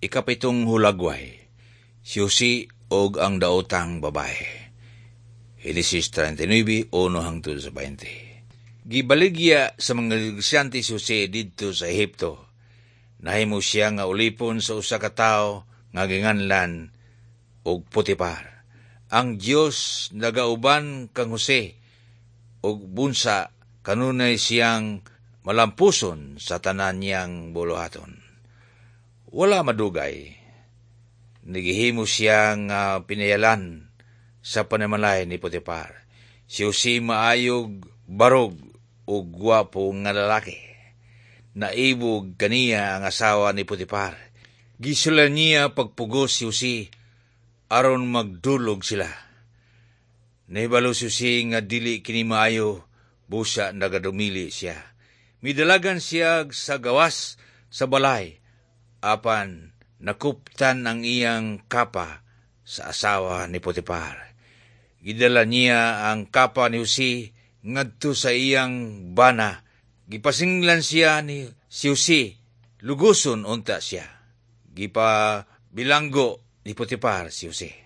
Ikapitong hulagway, si Jose og ang daotang babae. Henesis 39, 1 hangtod sa 20. Gibaligya sa mga negosyante si Jose didto sa Ehipto. Nahimo siya nga ulipon sa usa ka tawo nga ginganlan og Potipar. Ang Dios nagauban kang Jose ug bunsa kanunay siyang malampuson sa tanan niyang buluhaton. Wala madugay, nagihimo siya nga pinayalan sa panimalay ni Potipar. Si Jose maayog barog ug gwapo nga lalaki. Naibog kaniya ang asawa ni Potipar. Gisula niya pagpugos si Jose aron magdulog sila. Nahibalo si Jose nga dili kini maayo, busa nagadumili siya. Midalagan siya sa gawas sa balay apan nakuptan ang iyang kapa sa asawa ni Potipar. Gidala niya ang kapa ni Jose ngadto sa iyang bana. Gipasinglan siya ni si Jose, luguson unta siya. Gipa bilanggo ni Potipar si Jose.